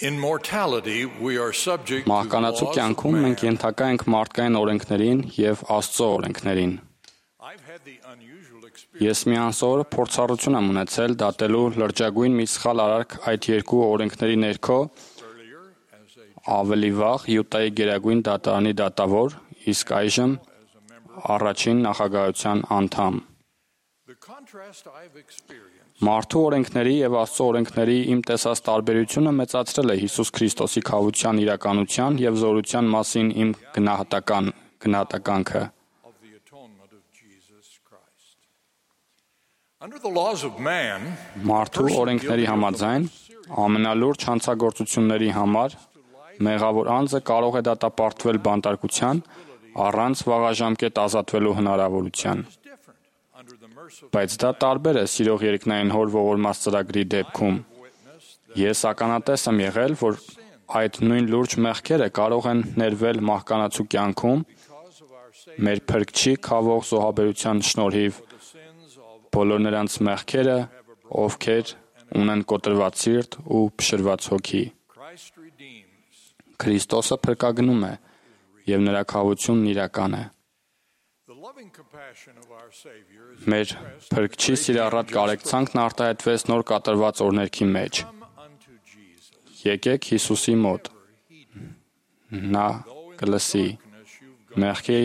In mortality, we are subject to the Մահկանացու laws of կյանքում man. մենք ենթակա ենք մարդկային օրենքներին եւ Աստծո օրենքներին։ I've had the unusual experience Ես մի անսովոր փորձառություն եմ ունեցել դատելու լրջագույն մի սխալ արարք այդ երկու օրենքների ներքո earlier as a ավելի վաղ Յուտայի գերագույն դատարանի դատավոր, իսկ այժմ առաջին նախագահության անդամ։ the contrast I've experienced Մարդու օրենքների եւ Աստծո օրենքների իմ տեսած տարբերությունը մեծացրել է Հիսուս Քրիստոսի քավության իրականության եւ զորության մասին իմ գնահատականքը։ of the atonement of Jesus Christ. Under the laws of man, Մարդու օրենքների համաձայն ամենալուրջ հանցագործությունների համար մեղավոր անձը կարող է դատապարտվել բանտարկության առանց վաղաժամկետ ազատվելու հնարավորության։ is different under the mercy of Բայց դա տարբեր է սիրող երկնային հոր ողորմած ծրագրի դեպքում։ witness Ես ականատես եմ եղել, որ այդ նույն լուրջ մեղքերը կարող են ներվել մահկանացու կյանքում because of our Savior, մեր փրկչի քավող զոհաբերության շնորհիվ the sins of բոլոր նրանց մեղքերը, ովքեր ունեն կոտրված սիրտ ու փշրված հոգի։ Christ redeems. Քրիստոսը փրկագնում է եւ նրա քավությունն իրական է։ The loving compassion of our Savior is Մեր փրկչի սիրառատ կարեկցանքն արտահայտվեց նոր կատարված օրներքի մեջ։ come unto Jesus. Եկեք Հիսուսի մոտ։ Նա կլսի մեղքի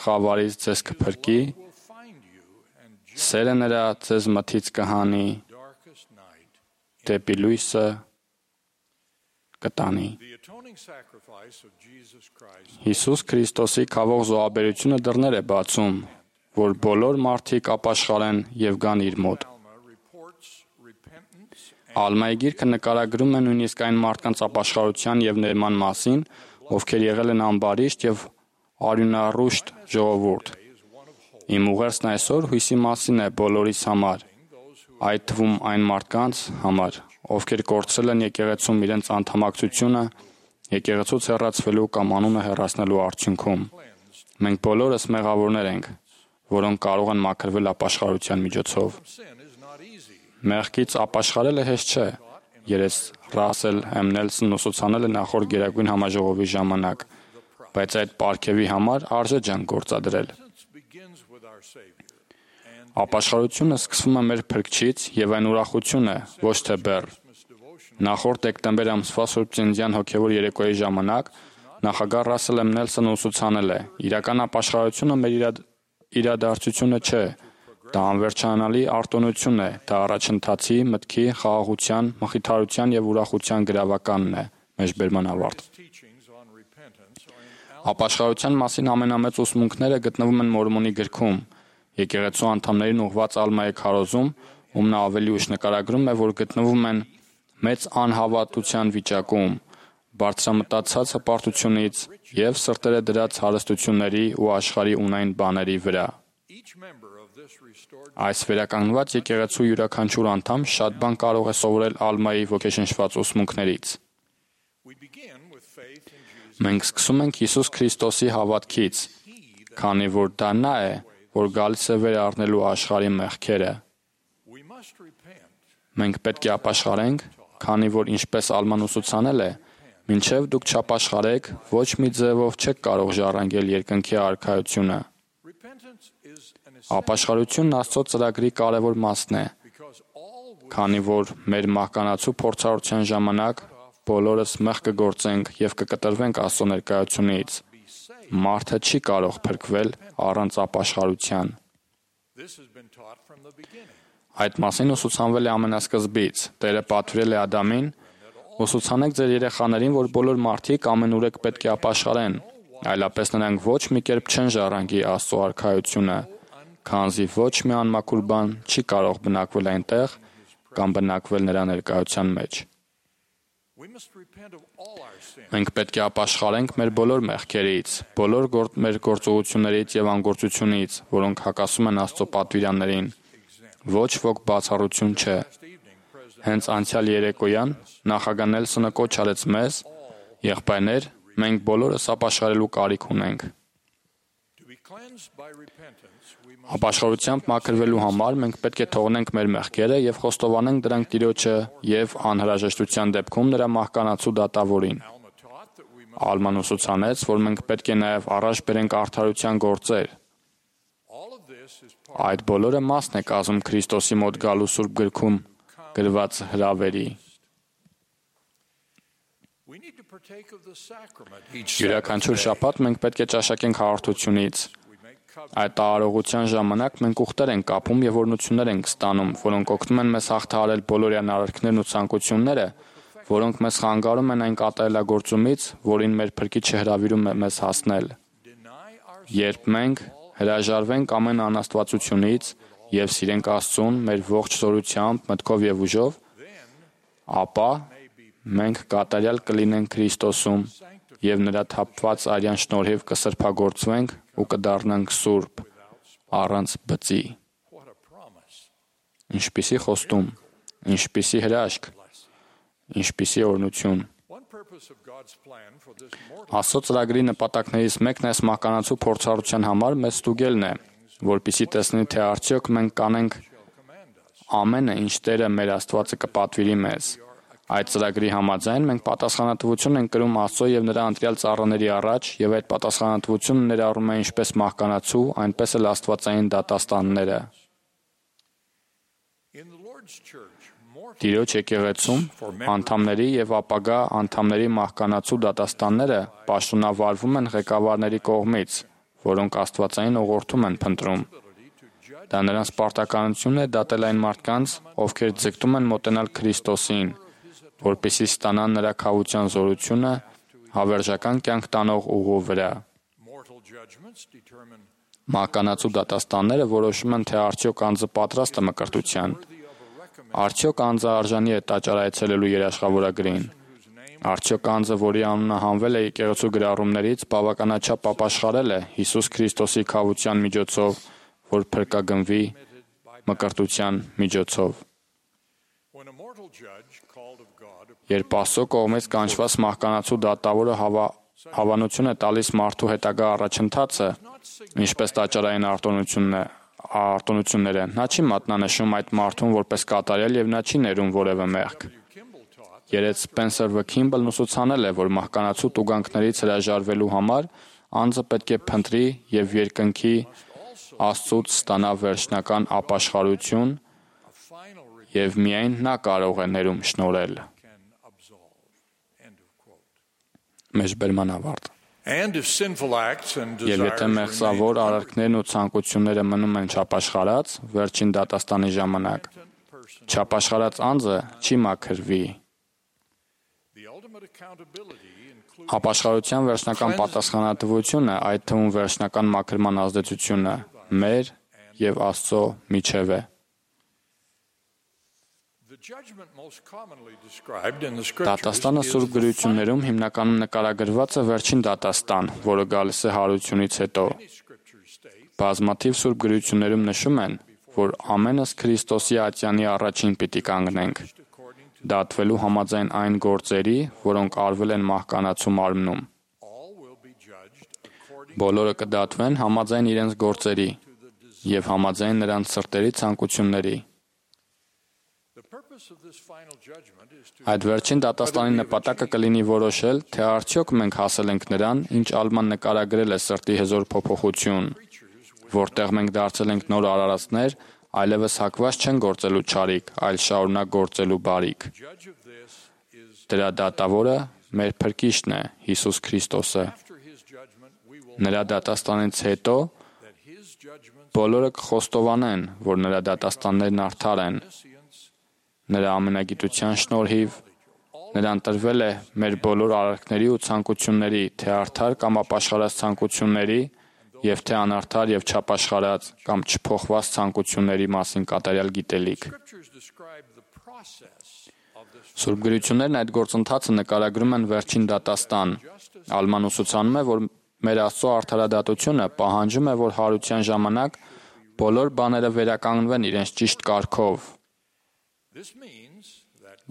խավարից ձեզ կփրկի, Will find you and սերը նրա ձեզ մթից կհանի, darkest night. դեպի լույսը կտանի։ The atoning sacrifice of Jesus Christ Հիսուս Քրիստոսի քավող զոհաբերությունը դռներ է բացում, որ բոլոր մարդիկ ապաշխարեն եւ գան իր մոտ։ Alma reports repentance Ալմայի գիրքը նկարագրում է նույնիսկ այն մարդկանց ապաշխարության եւ ներման մասին, ովքեր եղել են ամբարիշտ եւ արյունառուշտ ժողովուրդ։ is one of hope. Իմ ուղերձն այսօր հույսի մասին է բոլորիս համար, այդ թվում այն մարդկանց համար, ովքեր կորցրել են եկեղեցում իրենց անդամակցությունը, եկեղեցուց հեռացվելու կամ անունը հեռացնելու արդյունքում։ Մենք բոլորս մեղավորներ ենք, որոնք կարող են մաքրվել ապաշխարության միջոցով։ Sin is not easy. Մեղքից ապաշխարելը հեշտ չէ։ Երես Ռասել M. Նելսոնն ուսուցանել է նախորդ գերագույն համաժողովի ժամանակ, բայց այդ պարգևի համար արժե ջանք գործադրել։ Repentance begins with our Savior. And Ապաշխարությունը սկսվում է մեր փրկչից եւ այն ուրախություն է, ոչ թե բեռ։ Christmas devotion Նախորդ դեկտեմբեր ամսվա Սուրբ Ծննդյան հոգևոր երեկոյի ժամանակ նախագահ Ռասել M. Նելսոնը ուսուցանել է. իրական ապաշխարությունը մեր իրադարձությունը չէ, դա անվերջանալի արտոնություն է, դա առաջընթացի, մտքի, խաղաղության, մխիթարության եւ ուրախության գրավականն է։ Մեջբերման ավարտ։ teachings on repentance are in Ապաշխարության մասին ամենամեծ ուսմունքները գտնվում են Մորմոնի գրքում։ Եկեղեցու անդամներին ուղղված Ալմայի քարոզում, ում նա ավելի ուշ նկարագրում է, որ գտնվում են մեծ անհավատության վիճակում, բարձրամտածած հպարտությունից եւ սրտերը դրած հարստությունների ու աշխարհի ունայն բաների վրա։ each member of this restored. Այս վերականգնված եկեղեցու յուրաքանչյուր անդամ շատ բան կարող է սովորել Ալմայի ոգեշնչված ուսմունքներից։ We begin with faith in Jesus. Մենք սկսում ենք Հիսուս Քրիստոսի հավատքից, քանի որ դա նա է, որ գալիս է վեր առնելու աշխարհի մեղքերը։ We must repent. Մենք պետք է ապաշխարենք, քանի որ ինչպես Ալման ուսուցանել է, մինչև դուք չապաշխարեք, ոչ մի ձևով չեք կարող ժառանգել երկնքի արքայությունը։ Repentance is an Ապաշխարությունն Աստծո ծրագրի կարևոր մասն է, because all we քանի որ մեր մահկանացու փորձառության ժամանակ բոլորս մեղ կգործենք եւ կկտրվենք Աստծո ներկայությունից։ be saved. Մարդը չի կարող փրկվել առանց ապաշխարության։ This has been taught from the beginning. Այդ մասին ուսուցանվել է ամենասկզբից։ Տերը պատվիրել է Ադամին. ուսուցանեք ձեր երեխաներին, որ բոլոր մարդիկ ամենուրեք պետք է ապաշխարեն, այլապես նրանք ոչ մի կերպ չեն ժառանգի Աստծո արքայությունը, քանզի ոչ մի անմաքուր բան չի կարող բնակվել այնտեղ կամ բնակվել նրա ներկայության մեջ։ We must repent of all our sins. Մենք պետք է ապաշխարենք մեր բոլոր մեղքերից, բոլոր մեր գործողություններից եւ անգործությունից, որոնք հակասում են Աստծո պատվիրաններին։ Ոչ ոք բացառություն չէ։ Last evening, President Հենց անցյալ երեկոյան նախագահ Նելսոնը կոչ արեց մեզ, եղբայրներ, մենք բոլորս ապաշխարելու կարիք ունենք։ to be Ապաշխարությամբ մաքրվելու համար մենք պետք է թողնենք մեր մեղքերը եւ խոստովանենք դրանք Տիրոջը եւ անհրաժեշտության դեպքում նրա մահկանացու դատավորին։ Ալման ուսուցանեց, որ մենք պետք է նաեւ առաջ բերենք արդարության գործեր։ Այդ բոլորը մասն է կազմում Քրիստոսի մոտ գալու Սուրբ գրքում գրված հրավերի։ Յուրաքանչյուր շաբաթ մենք պետք է ճաշակենք հաղորդությունից։ Այդ տարողության ժամանակ մենք ուխտեր ենք կապում եւ օրհնություններ ենք ստանում, որոնք օգնում են մեզ հաղթահարել բոլորյան արարքներն ու ցանկությունները, որոնք մեզ խանգարում են այն կատարելագործումից, որին մեր Փրկիչը հրավիրում է մեզ հասնել։ Երբ մենք հրաժարվենք ամեն անաստվածությունից եւ սիրենք Աստծուն մեր ողջ զորությամբ, մտքով եւ ուժով, ապա մենք կատարյալ կլինենք Քրիստոսում եւ նրա թափված արյան շնորհիվ կսրբագործվենք ու կդառնանք սուրբ, առանց բծի։ Ինչպիսի խոստում, ինչպիսի հրաշք, ինչպիսի օրհնություն։ Աստծո ծրագրի նպատակներից մեկն այս մահկանացու փորձառության համար մեզ ստուգելն է, որպեսզի տեսնի, թե արդյոք մենք կանենք ամենը, ինչ Տերը մեր Աստվածը կպատվիրի մեզ։ Այդ ծրագրի համաձայն մենք պատասխանատվություն ենք կրում Աստծո եւ նրա ընտրյալ ծառաների առաջ, եւ այդ պատասխանատվությունը ներառում է ինչպես մահկանացու, այնպես էլ աստվածային դատաստանները։ Տիրոջ եկեղեցում անդամների եւ ապագա անդամների մահկանացու դատաստանները պաշտոնավարվում են ղեկավարների կողմից, որոնք աստվածային ուղղորդում են փնտրում։ Դա նրանց պարտականությունն է դատել այն մարդկանց, ովքեր ձգտում են մոտենալ Քրիստոսին, որպեսզի ստանան նրա քավության զորությունը հավերժական կյանք տանող ուղու վրա։ Մահկանացու դատաստանները որոշում են, թե արդյոք անձը պատրաստ է մկրտության, արդյոք անձը արժանի է տաճար այցելելու երաշխավորագրին, արդյոք անձը, որի անունը հանվել է եկեղեցու գրառումներից, բավականաչափ ապաշխարել է Հիսուս Քրիստոսի քավության միջոցով, որ փրկագնվի մկրտության միջոցով։ Երբ Աստծո կողմից կանչված մահկանացու դատավորը հավանություն է տալիս մարդու հետագա առաջընթացը, ինչպես տաճարային արտոնությունները, նա չի մատնանշում այդ մարդուն որպես կատարյալ եւ նա չի ներում որևէ մեղք։ Երեկ Սպենսեր Վ. Քիմբլն ուսուցանել է, որ մահկանացու տուգանքներից հրաժարվելու համար անձը պետք է փնտրի եւ երկնքի Աստծուց ստանա վերջնական ապաշխարություն եւ միայն նա կարող է ներում շնորհել։ Մեջբերման ավարտ։ Եվ եթե մեղսավոր արարքներն ու ցանկությունները մնում են չապաշխարած, վերջին դատաստանի ժամանակ, չապաշխարած անձը չի մաքրվի։ Ապաշխարության վերջնական պատասխանատվությունը, այդ թվում վերջնական մաքրման ազդեցությունը, մեր եւ Աստծո միջև է։ Դատաստանը Սուրբ գրություններում հիմնականում նկարագրված է վերջին դատաստան, որը գալիս է հարությունից հետո։ Բազմաթիվ Սուրբ գրություններում նշում են, որ ամենս Քրիստոսի ատյանի առաջին պիտի կանգնենք, դատվելու համաձայն այն գործերի, որոնք արվել են մահկանացու մարմնում։ Բոլորը կդատվեն համաձայն իրենց գործերի եւ համաձայն նրանց սրտերի ցանկությունների։ Այդ վերջին դատաստանի նպատակը կլինի որոշել, թե արդյոք մենք հասել ենք նրան, ինչ Ալման նկարագրել է սրտի հզոր փոփոխություն, որտեղ մենք դարձել ենք նոր արարածներ, այլևս հակված չեն գործելու չարիք, այլ շարունակ գործելու բարիք։ Դրա դատավորը մեր Փրկիչն է, Հիսուս Քրիստոսը։ Նրա դատաստանից հետո բոլորը կխոստովանեն, որ նրա դատաստաններն արդար են։ Նրա ամենագիտության շնորհիվ նրան տրվել է մեր բոլոր արարքների ու ցանկությունների, թե արդար կամ ապաշխարած ցանկությունների, եւ թե անարդար եւ չապաշխարած կամ չփոխված ցանկությունների մասին կատարյալ գիտելիք։ Սուրբ գրություններն այդ գործընթացը նկարագրում են վերջին դատաստան։ Ալման ուսուցանում է, որ մեր Աստծո արդարադատությունը պահանջում է, որ հարության ժամանակ բոլոր բաները վերականգնվեն իրենց ճիշտ կարգով։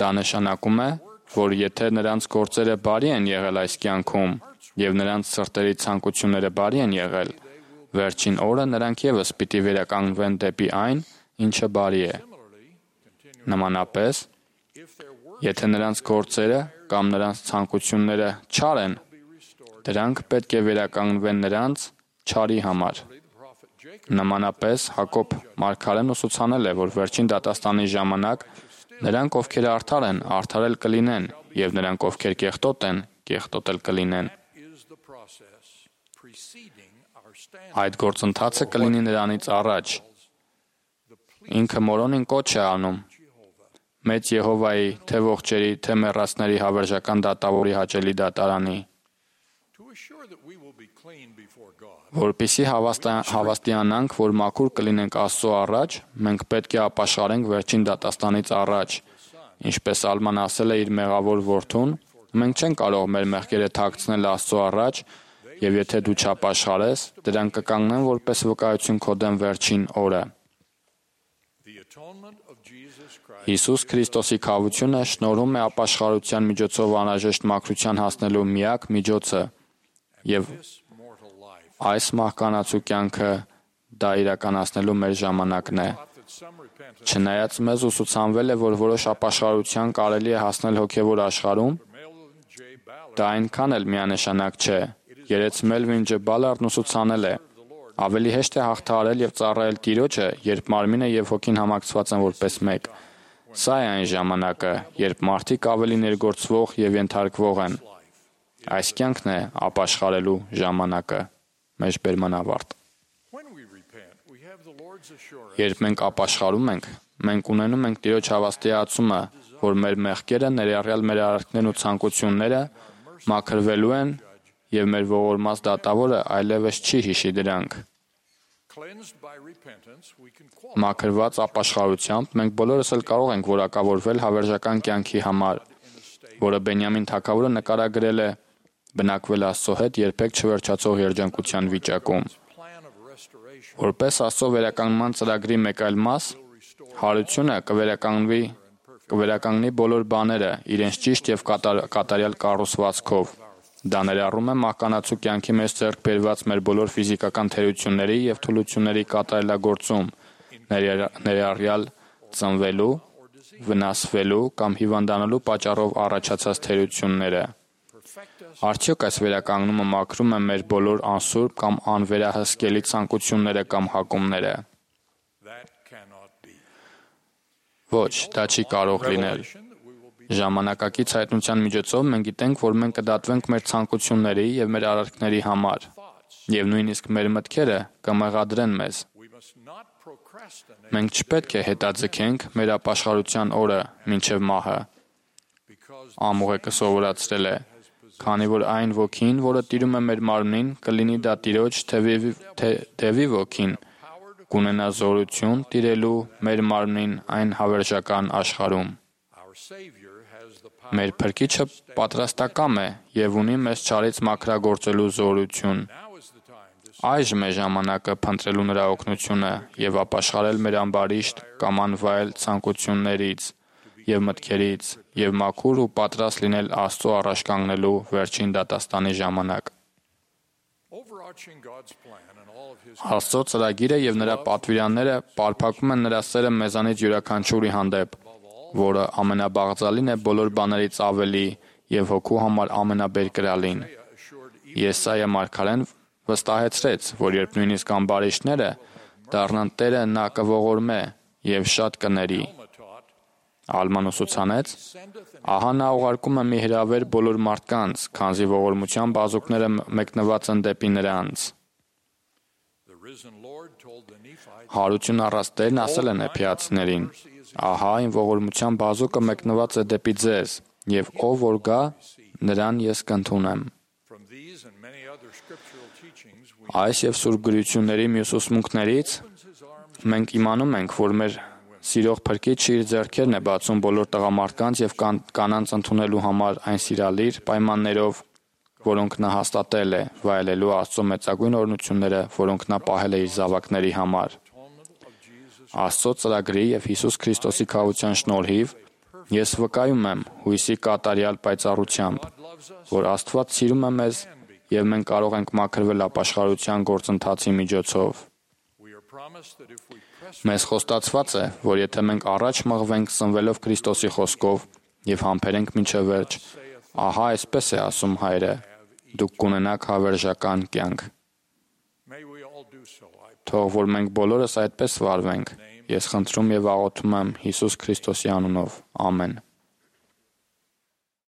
Դա նշանակում է, որ եթե նրանց գործերը բարի են եղել այս կյանքում եւ նրանց սրտերի ցանկությունները բարի են եղել, Վերջին օրը նրանք եւս պիտի վերականգնվեն դեպի այն, ինչը բարի է։ Նմանապես, եթե նրանց գործերը կամ նրանց ցանկությունները չար են, դրանք պետք է վերականգնվեն նրանց չարի համար։ Նմանապես Հակոբ մարգարեն ուսուցանել է, որ վերջին դատաստանի ժամանակ նրանք, ովքեր արդար են, արդարել կլինեն, եւ նրանք, ովքեր կեղտոտ են, կեղտոտել կլինեն։ Այդ գործընթացը կլինի նրանից առաջ։ Ինքը Մորոնին կոչ է անում մեծ Եհովայի, թե ողջերի, թե մեռածների հավերժական դատավորի հաճելի դատարանի, որպեսզի հավաստիանանք, որ մաքուր կլինենք Աստծո առաջ, մենք պետք է ապաշխարենք վերջին դատաստանից առաջ, ինչպես Ալման ասել է իր մեղավոր որդուն, մենք չենք կարող մեր մեղքերը թաքցնել Աստծո առաջ, եւ եթե դու չապաշխարես, դրանք կկանգնեն որպես վկայություն քո դեմ վերջին օրը։ Հիսուս Քրիստոսի քավությունը շնորհում է ապաշխարության միջոցով անհրաժեշտ մաքրության հասնելու միակ միջոցը, եւ այս մահկանացու կյանքը դա իրականացնելու մեր ժամանակն է։ Չնայած մեզ ուսուցանվել է, որ որոշ ապաշխարության կարելի է հասնել հոգևոր աշխարհում, դա այնքան էլ միանշանակ չէ։ Երեց Մելվին Ջ. Բալարդն ուսուցանել է. ավելի հեշտ է հաղթահարել եւ ծառայել Տիրոջը, երբ մարմինը եւ հոգին համակցված են որպես մեկ։ Սա է այն ժամանակը, երբ մարդիկ ավելի ներգործվող եւ ենթարկվող են։ Այս կյանքն է ապաշխարելու ժամանակը։ Մեջբերման ավարտ։ Երբ մենք ապաշխարում ենք, մենք ունենում ենք Տիրոջ հավաստիացումը, որ մեր մեղքերը, ներառյալ մեր արարքներն ու ցանկությունները, մաքրվելու են եւ մեր ողորմած դատավորը այլևս չի հիշի դրանք։ Մաքրված ապաշխարությամբ մենք բոլորս էլ կարող ենք որակավորվել հավերժական կյանքի համար, որը Բենյամին թագավորը նկարագրել է բնակվել Աստծո հետ երբեք չվերջացող երջանկության վիճակում։ Որպես Աստծո վերականգնման ծրագրի մեկ այլ մաս, հարությունը կվերականգնի բոլոր բաները իրենց ճիշտ եւ կատարյալ կառուցվածքով։ Դա ներառում է մահկանացու կյանքի մեջ ձեռք բերված մեր բոլոր ֆիզիկական թերությունների եւ թուլությունների կատարելագործում, ներառյալ ծնվելու, վնասվելու կամ հիվանդանալու պատճառով առաջացած թերությունները։ Արդյոք այս վերականգնումը մաքրում է մեր բոլոր անսուրբ կամ անվերահսկելի ցանկությունները կամ հակումները։ Ոչ, դա չի կարող լինել։ Ժամանակակից հայտնության միջոցով մենք գիտենք, որ մենք կդատվենք մեր ցանկությունների եւ մեր արարքների համար, եւ նույնիսկ մեր մտքերը կմեղադրեն մեզ։ Մենք չպետք է հետաձգենք մեր ապաշխարության օրը մինչև մահը։ Ամուղեկը սովորացրել է, քանի որ այն ոգին, որը տիրում է մեր մարմնին, կլինի դա Տիրոջ Դևի ոգին, կունենա զորություն տիրելու մեր մարմնին այն հավերժական աշխարհում։ Մեր Փրկիչը պատրաստակամ է եւ ունի մեզ չարից մաքրագործելու զորություն։ Այժմ է ժամանակը փնտրելու նրա օգնությունը եւ ապաշխարել մեր ամբարիշտ կամ անվայել ցանկություններից եւ մտքերից եւ մաքուր ու պատրաստ լինել Աստծո առաջ կանգնելու վերջին դատաստանի ժամանակ։ Աստծո ծրագիրը եւ նրա պատվիրանները պարփակում են նրա սերը մեզանից յուրաքանչյուրի հանդեպ, որը ամենաբաղձալին է բոլոր բաներից ավելի եւ հոգու համար ամենաբերկրալին։ Եսայա մարգարեն վստահեցրեց, որ երբ նույնիսկ ամբարիշտները դառնան Տերը նա կողորմե եւ շատ կների։ Ալման ուսուցանեց. ահա նա ուղարկում է մի հրավեր բոլոր մարդկանց, քանզի ողորմության բազուկները մեկնված են դեպի նրանց։ Հարություն առած Տերն ասել է Նեփիացիներին. ահա այն ողորմության բազուկը մեկնված է դեպի ձեզ, եւ ով որ գա, նրան ես կընդունեմ։ Այս եւ սուրբ գրությունների մյուս ուսմունքներից մենք իմանում ենք, որ մեր սիրող Փրկիչը իր ձեռքերն է բացում բոլոր տղամարդկանց եւ կանանց ընդունելու համար այն սիրալիր պայմաններով, որոնք նա հաստատել է, վայելելու Աստծո մեծագույն օրհնությունները, որոնք նա պահել է իր զավակների համար։ Աստծո ծրագրի եւ Հիսուս Քրիստոսի քավության շնորհիվ ես վկայում եմ հույսի կատարյալ պայծառությամբ, որ Աստված սիրում է մեզ եւ մենք կարող ենք մաքրվել ապաշխարության գործընթացի միջոցով։ We are promised that if we press Մեզ խոստացված է, որ եթե մենք առաջ մղվենք սնվելով Քրիստոսի խոսքով եւ համբերենք մինչև վերջ, ահա այսպես է ասում Հայրը. դուք կունենաք հավերժական կյանք։ may we all do so. I Թող որ մենք բոլորս այդպես վարվենք։ Ես խնդրում եւ աղոթում եմ Հիսուս Քրիստոսի անունով։ Ամեն։